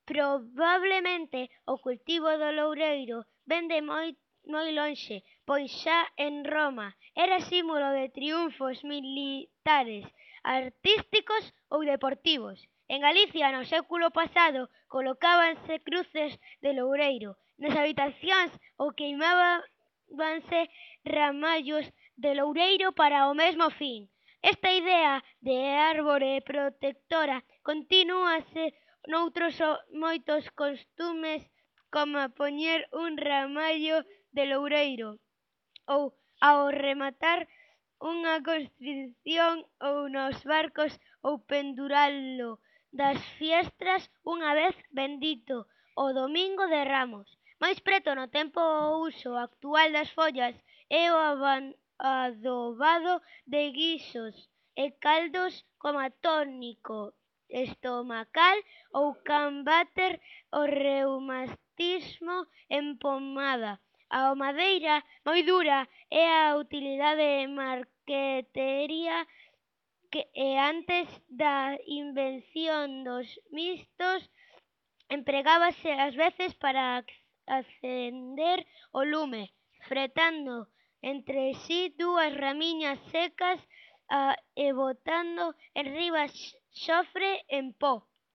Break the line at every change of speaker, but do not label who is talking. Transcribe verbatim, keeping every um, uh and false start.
Probablemente o cultivo do loureiro vén de moi, moi lonxe, pois xa en Roma era símbolo de triunfos militares, artísticos ou deportivos. En Galicia, no século pasado, colocábanse cruces de loureiro nas habitacións ou queimábanse ramallos de loureiro para o mesmo fin. Esta idea de árbore protectora continúase noutros moitos costumes, como poñer un ramallo de loureiro ou ao rematar unha construción ou nos barcos ou penduralo das fiestras unha vez bendito o Domingo de Ramos. Máis preto no tempo o uso actual das follas é o adobado de guisos e caldos como tónico estomacal ou combater o reumatismo en pomada. A madeira moi dura é a utilidade marqueteira que antes da invención dos mistos empregábase ás veces para acender o lume, fretando entre si dúas ramiñas secas e botando enriba xofre en po.